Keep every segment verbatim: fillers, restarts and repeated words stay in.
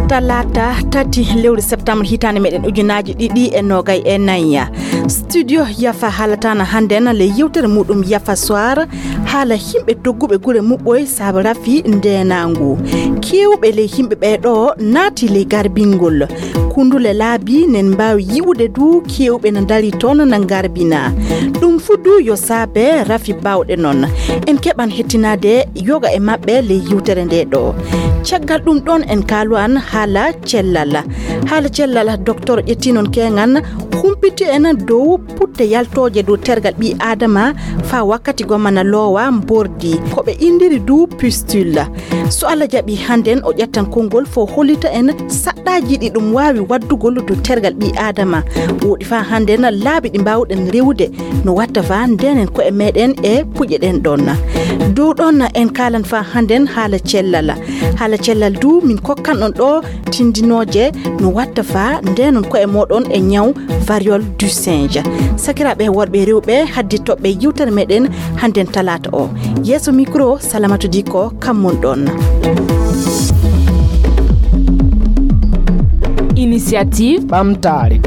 Talaata tati lewru septembre hitaande meɗen ujunaaji ɗiɗi e noogay e nayi. Studio Yafa haalataana hannden le yewtere muɗum Yafa Soir, haala yimɓe dogguɓe gure muɓɓoy saabu rafi ndeenaangu. Keewɓe le yimɓe ɓee ɗo naati le garbingol. Kundule laabi nen mbaawi yi'ude du keewɓe na dari toon na ngarbina. Ɗum fu du yo saabe rafi baawɗe noon. En keɓan hettinaade yoga e maɓɓe le yewtere nde ɗo. Caggal ɗum ɗoon en kaalu an haala cellal. Haala cellal, docteur ƴetti noon keeŋan humpiti en dow putte yaltooje dow tergal ɓii Aadama faa wakkati gomma na loowa mbordi. Ko ɓe inndiri du pustule. So Allah jaɓi hannden o ƴettan konngol fo hollita en saɗɗaaji ɗi ɗum waawi waddugol dow tergal ɓii Aadama. Woɗi faa hannden laabi ɗi mbaawɗen rewude no watta faa ndenen ko'e meɗen e puƴe ɗen ɗon. Dow ɗon en kaalan faa hannden haala cellal. Haala cellal du min kokkan on ɗo tindinooje no watta faa ndenon ko'e moɗon e ñaw variole du singe. Sakiraaɓe worɓe e rewɓe, haddi toɓɓe yewtere meɗen hannden talaata o. Yeeso micro, Salamatu Diko, kam mon ɗon. Initiative ɓamtaare.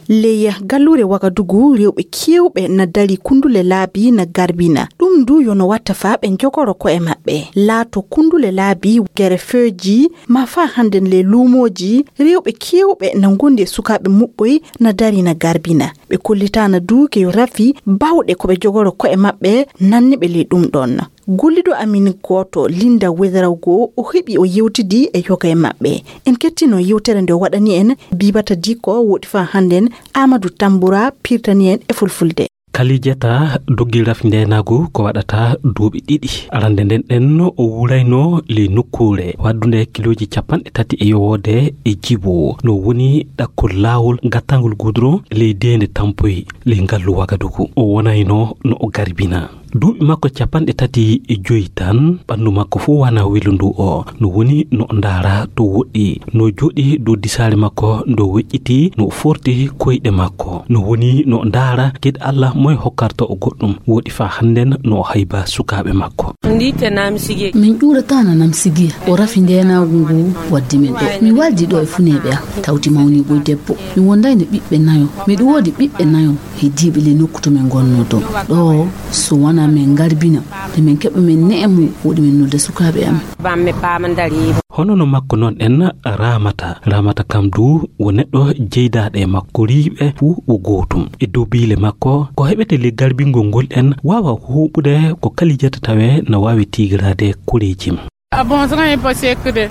Ley galluure Wagadugu, rewɓe keewɓe na dari kundule laabi na garbina. Ɗum du yo no watta faa ɓe njogoro ko'e maɓɓe. Laato kundule laabi, gere feeji, ma faa hannden le luumooji, rewɓe keewɓe na ngondi e sukaaɓe muɓɓoy na dari na garbina. Ɓe kollitaana du ke yo rafi baawɗe ko ɓe jogoro ko'e maɓɓe nanni ɓe ley ɗum ɗon. Gollido amin gooto, Linda Wedraogo, o heɓi o yewtidi e yoga e maɓɓe. En kettino yewtere nde o waɗani en, Bibata Diko, woɗi faa hannden Amadou Tambura pirtani en e fulfulde. Kalijata doggi rafi ndeenaagu ko waɗata duuɓi ɗiɗi. Arande nden ɗen o wuurayno ley nokkuure waddunde kilooji capanɗe tati e yowoode e jibo. No woni ɗakkol laawol gattangol gudron ley deende tampoy ley ngallu Wagadugu. O wonayno no o garbina. Duuɓi makko capanɗe tati e joyi tan, ɓanndu makko fof wana welundu o. No woni no o ndaara to woɗɗi, no jooɗi dow disaare makko, ndo weƴƴiti, no o forti koyɗe makko. No woni no o ndaara kadi Allah moye hokkarta o goɗɗum. Woɗi faa hannden no o hayba sukaaɓe makko. Min ƴuurata na nam sigiya. O rafi ndeenaagu ngu waddi min ɗo. Mi waldi ɗo e funeeɓe am, tawti mawni boy debbo. Mi wondayno ɓiɓɓe nayo. Miɗo woodi ɓiɓɓe nayo. Heddiiɓe ley nokku to min ngonnoo ɗo. Ɗo, so wonaa min ngarbina, nde min keɓa min ne'e mum, woɗi min nulda sukaaɓe amin. Hono no makko noon en Ramata. Ramata kam du wo neɗɗo jeydaaɗo e makko, riiɓe fuu wo gootum. E dow biile makko, ko heɓete ley garbingol ngol en waawa huuɓude ko Kalijata tawee na waawi tiigiraade koreeji.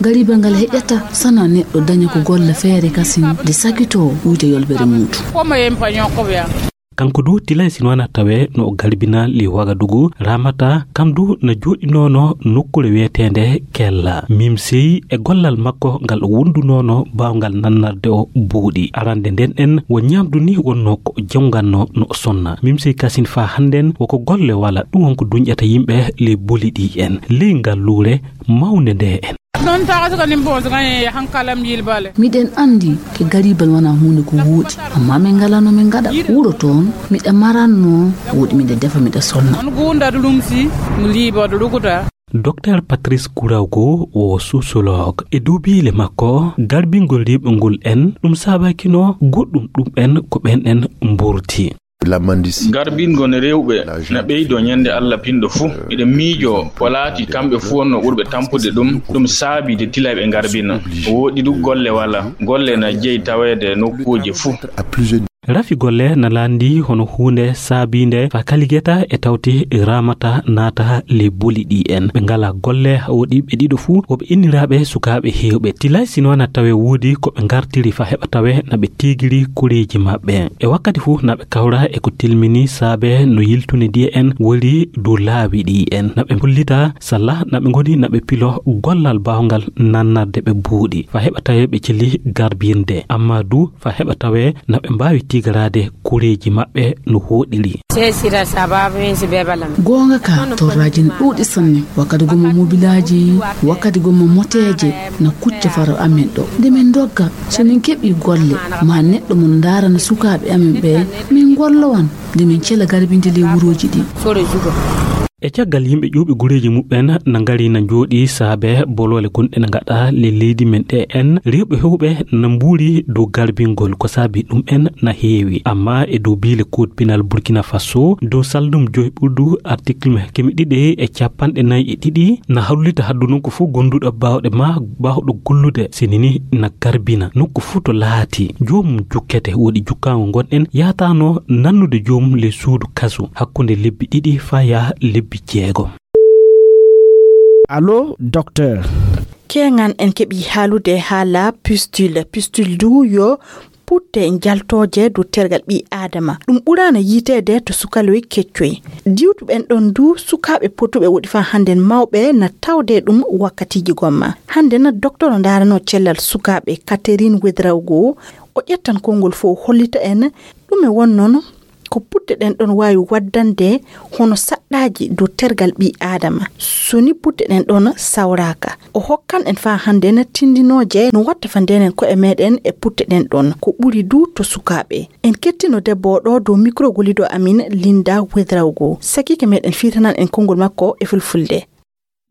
Gariba ngal heƴata sana neɗɗo daña ko golla feere kasin de sakitoo wuyta yolbere muuɗum. Kanko du tilay sinwana tawe no o garbina li Wagadugu, Ramata kam du na jooɗinoono nokkure wiyeteende Kella. Mimsey e gollal makko ngal o wondunoono baawngal nannarde o buuɗi. Arande nden en wo ñaamdu ni wonno ko o jawganno no o sonna. Mimsey kasin faa hannden woko golle wala ɗum won ko duñƴata yimɓe ley boli ɗi en. Ley ngal luure mawnde nde en. Miɗen anndi ke garibal wona huunde ko wooɗi, amma min ngalaa no min ngaɗa. Wuro toon, miɗa maranno, wooɗi miɗa defa, miɗa sonna. Docteur Patrice Kourago wo sociologue. E duubiile makko, garbingol riiɓe ngol en, ɗum saabakino goɗɗum ɗum en ko ɓen en mburti. Garbingol rewɓe na ɓeydoo ñande Allah pinɗo fuu. Miɗo miijoo ko laati kamɓe fuu wonnoo ɓurɓe tampude ɗum, ɗum saabii de tilay ɓe ngarbina. Wooɗi du golle wala, golle na jeyi taweede nokkuuje fuu. Rafi golle na laandi hono huunde saabiinde faa Kaligeta e tawti Ramata naata ley boli ɗi en. Ɓe ngalaa golle, wooɗi ɓe ɗiɗo fuu, wo ɓe inniraaɓe sukaaɓe heewɓe. Tilay sinwana tawe woodi ko ɓe ngartiri faa heɓa tawe na ɓe tiigiri koreeji maɓɓe. E wakkati fuu na ɓe kawra e ko tilmini saabe no yiltune diye en wori dow laawi ɗi en. Na ɓe mbullita salla na ɓe ngoni na ɓe pilo gollal baawngal nannarde ɓe buuɗi. Faa heɓa tawe ɓe celi garbinde. Amma du faa heɓa tawe na ɓe mbaawi tigaraade koreeji maɓɓe no hooɗiri. Sesira sababu en si bebala. Goonga ka, torraaji ne ɗuuɗi sanne. Wakkati gomma mobilaaji, wakkati gomma moteeje na kucca faro amen ɗo. Nde min dogga, so min keɓii golle, ma neɗɗo mo ndaarana sukaaɓe amen ɓe, min ngollowan nde min cela garbinde ley wurooji ɗi. E caggal yimɓe ƴuwɓe gureeji muɓɓen na ngari na njooɗi saabe boloole gonɗe na ngaɗa ley leydi men ɗe en, rewɓe hewɓe na mbuuri dow garbingol. Ko saabi ɗum en na heewi. Amma e dow biile Code pénal Burkina Faso, dow saldum joy ɓurdu article keme ɗiɗi e capanɗe nayi e ɗiɗi, na hawlita haddu non ko fof gonduɗo baawɗe ma baawɗo gollude, sinini na garbina nokku fof to laati. Joomum jukkete, woɗi jukkaango ngonɗen yaataano nannude joomum ley suudu kasu hakkunde lebbi ɗiɗi faa yaha lebbi jeegom. Allo, docteur. Keeŋan en keɓii haalude haala pustule. Pustule du yo putte njaltooje dow tergal ɓii Aadama. Ɗum ɓuraana yiiteede to sukaloy keccoy. Diwtuɓen ɗon du sukaaɓe potuɓe woɗi faa hannden mawɓe na tawde ɗum wakkatiiji gomma. Hannden doktoro ndaaranoo cellal sukaaɓe Catherine Ouédraogo, o ƴettan konngol fof hollita en ɗume won noon ko putte ɗen ɗon waawi waddande hono saɗɗaaji dow tergal ɓii Aadama, so ni putte ɗen ɗon sawraaka. O hokkan en faa hannden tindinooje no watta fa ndeenen ko'e meeɗen e putte ɗen ɗon, ko ɓuri du to sukaaɓe. En kettino debbo o ɗo dow mikro gollido amin Linda Ouédraogo. Sakiike meeɗen fiitanan en konngol makko e fulfulde.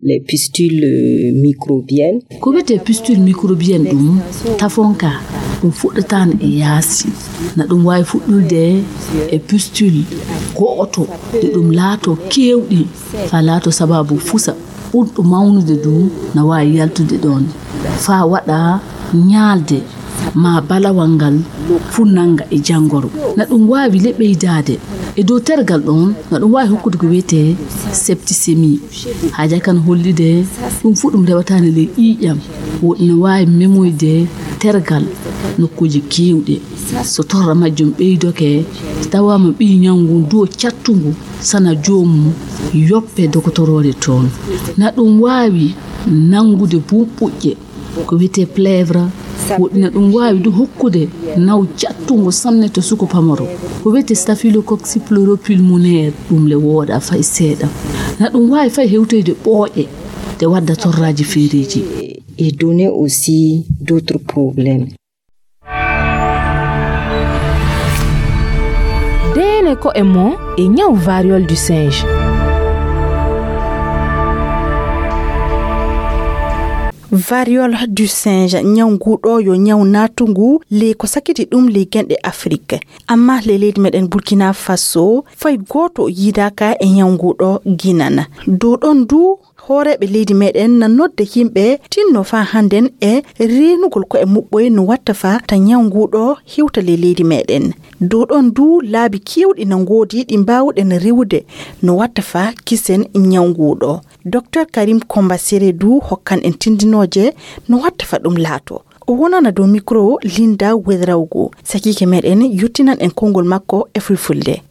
Les pustules, euh, microbiennes. Ko wiyetee pustule microbienne ɗum tafonka, ɗum fuɗɗataano e yaasi. Na ɗum waawi fuɗɗude e pustule go'oto, nde ɗum laatoo keewɗi, faa laatoo sabaabu fusa ɓurɗo mawnude du na waawi yaltude ɗoon, faa waɗa ñaalde maa balawal ngal fuu nannga e janngoro. Na ɗum waawi le ɓeydaade e dow tergal ɗoon, na ɗum waawi hokkude ko wiyetee septicémie. Haajaa kan hollide ɗum fuu ɗum rewataani ley ƴiiƴam, woɗi na waawi memoyde tergal nokkuuji keewɗi. So torra majjum ɓeydoke, tawaama ɓii ñaw ngun du o cattungu, sana joomum yoppe dokotoroore toon. Na ɗum waawi nanngude bumɓuƴƴe, ko wiyetee plèvre, woɗi na ɗum waawi du hokkude naw cattungo sanne to suko pamaro, ko wiyetee staphylococcus pleuropulmonaire, ɗum le wooɗaa fay seeɗa. Na ɗum waawi fay hewtoyde ɓooƴe, ɗe wadda torraaji feereeji. Et donner aussi d'autres problèmes. Deene ko e mo e ñaw variole du singe. Variole du singe, ñaw nguu ɗoo yo ñaw naatungu ley ko sakiti ɗum ley genɗe Afrik. Amma ley leydi meɗen Burkina Faso, fay gooto yiidaaka e ñaw nguu ɗoo ginana. Dow ɗon du, hooreeɓe leydi meɗen na nodde yimɓe tinno faa hannden e reenugol ko'e muɓɓoy no watta faa ta ñaw nguu ɗoo hewta ley leydi meɗen. Dow ɗon du, laabi keewɗi na ngoodi ɗi mbaawuɗen rewude no watta faa kisen ñaw nguu ɗoo. Docteur Karim Komba Sere du hokkan en tindinooje no watta faa ɗum laato. O wonana dow mikro Linda Ouédraogo. Sakiike meɗen yottinan en konngol makko e fulfulde.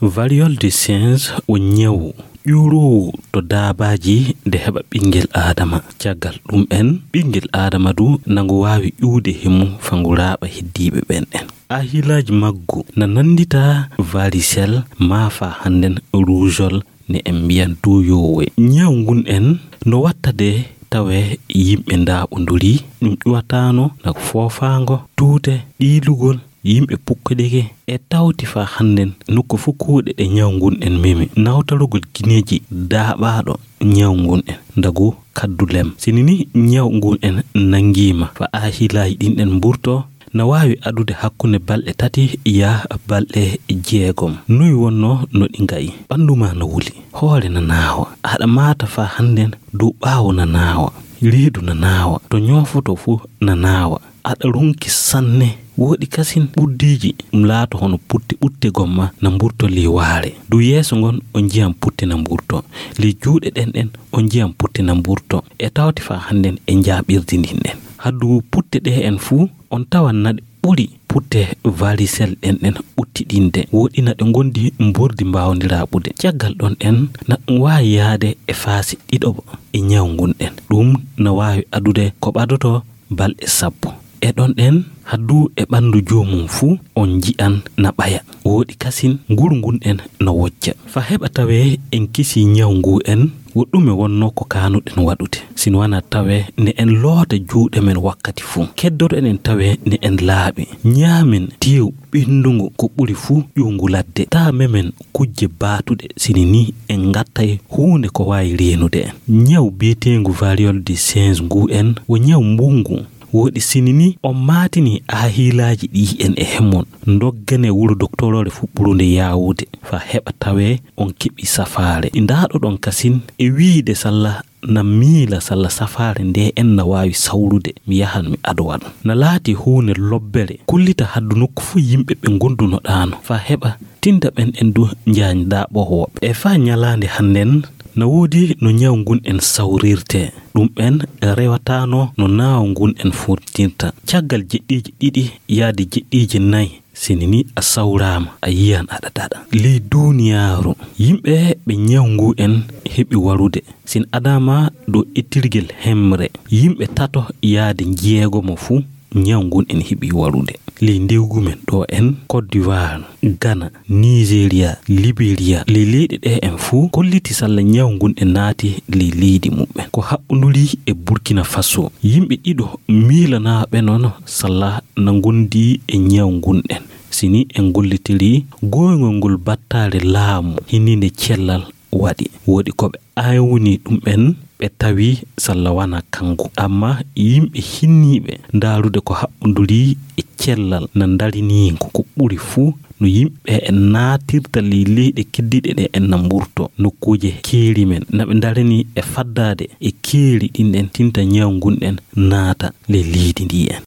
Variole du singe o ñawu ƴuuroowu to daabaaji nde heɓa ɓinngel aadama. Caggal ɗum en, ɓinngel aadama du nango waawi ƴuwde he mum faa ngu raaɓa heddiiɓe ɓen en. Ahilaaji maggu na nanndita varicelle maa faa hannden rougeole ne en mbiyan du yoowe. Ñaw ngun en no wattade tawe yimɓe ndaaɓondorii, ɗum ƴuwataano na foofaango, tuute, ɗiilugol, yimɓe pukkodike e tawti faa hannden nokku fof kuuɗe ɗe ñaw ngun en memi. Nawtorogol gineeji daaɓaaɗo ñaw ngun en ndagu kaddu lem. Sini ni ñaw ngun en nanngiima faa ahilaaji ɗin ɗen mburto, na waawi adude hakkunde balɗe tati yaa balɗe jeegom. Noy wonnoo no ɗi ngayi? Ɓanndu maa na wuli, hoore na naawa, aɗa maata faa hannden dow ɓaawo na naawa, reedu na naawa, to ñoofotoo fof na naawa. Aɗa ronki sanne. Woɗi kasin ɓurdiiji, ɗum laato hono putte ɓutte gomma na mburto ley waare. Dow yeeso ngon o njiyan putte na mburto. Ley juuɗe ɗen ɗen o njiyan putte na mburto. E tawti faa hannden e njaaɓirdi ndin ɗen. Haddu putte ɗe en fuu, on tawan na ɗe ɓuri putte varicelle ɗen ɗen ɓuttiɗinde. Woɗi na ɗe ngondi mbordi mbaawondiraaɓude. Caggal ɗon en, na ɗum waawi yaade e faasi ɗiɗoɓo e ñaw ngun ɗen. Ɗum na waawi adude ko ɓadoto balɗe sappo. e ɗon ɗen, haddu e ɓanndu joomum fuu, on nji'an na ɓaya. Wooɗi kasin, nguru ngun en no wojja. Fa heɓa tawee en kisii nyaw ngu en, wo ɗume wonnoo ko kaanuɗen waɗude? Sino wanaa tawee ne en loota juuɗe men wakkati fuu. Keddoto en en tawee ne en laaɓi. Nyaamen teew ɓenndungu ko ɓuri fuu ƴuwngu ladde. Taa memen kujje baatuɗe, sini nii en ngattay huunde ko waawi reenude en. Nyaw bi'eteengu variole du singe ngu en wo nyaw mbunngu. Wooɗi sini nii on maatinii aahiilaaji ɗi en e hemon. Ndoggane wuro doktoroore fuɗɓurunde yaawude, fa heɓa tawee on keɓii safaare. Ndaaɗoɗon kasin e wiide salla na miila salla safaare nde en na waawi sawrude, mi yahan mi adowa ɗum. Na laati huunde lobbere, kullita haddu nokku fuu yimɓe ɓe ngondunoɗaano, fa heɓa tinda ɓen en du njaanjdaa ɓoho woɓɓe. E fa nyalaande hannden, na woodi no nyaw ngun en sawrirtee. Ɗum en rewataano no naaw ngun en furtinta. Caggal jeɗɗiiji ɗiɗi yaade jeɗɗiiji nay, sini nii a sawraama, a yiyan aɗa daɗa. Ley duuniyaaru, yimɓe ɓe nyaw ngu en heɓi warude, sin adaama ɗo ettirgel hemre, yimɓe tato yaade njeegomo fuu, nyaw ngun en heɓi warude. Ley ndewgu men ɗo en, Côte d'Ivoire, Ghana, Nigeria, Liberia, ley leyɗe ɗe en fuu kolliti salla nyaw ngun en naati ley leydi muɓɓen. Ko haɓɓunduri e Burkina Faso, yimɓe ɗiɗo miilanaaɓe noon salla na ngondi e nyaw ngun en. Sini en gollitiri gooyngol ngol battaare laamu hinniinde cellal waɗi. Wooɗi ko ɓe aawni ɗum en, ɓe tawi salla wanaa kanko. Amma yimɓe hinniiɓe ndaarude ko haɓɓunduri e cellal na ndarinii ngu. Ko ɓuri fuu no yimɓe en naatirta ley leyɗe keddiiɗe ɗe en na mburto, nokkuuje keeri men, na ɓe ndarani e faddaade e keeri ɗin en tinta nyaw ngun en naata ley leydi ndi en.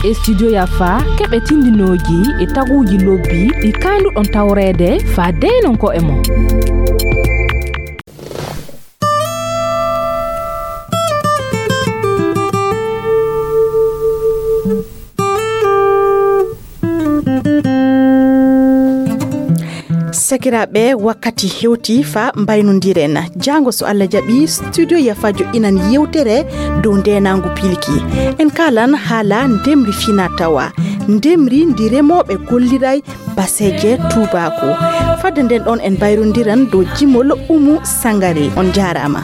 E studio Yafa, keɓe tindinooji e taguuji lobbi ɗi kaanduɗon tawreede faa deynon ko'e mon. Sakiraaɓe, wakkati hewti fa mbaynondiren. Jaango, so Allah jaɓi, studio Yafa joɗɗinan yewtere dow ndeenaangu pilki. En kaalan haala ndemri fina tawa, ndemri ndi remooɓe golliray baseeje tuubaaku. Fadde nden ɗon en mbayrondiran dow jimol Umu Sangare. On jaaraama.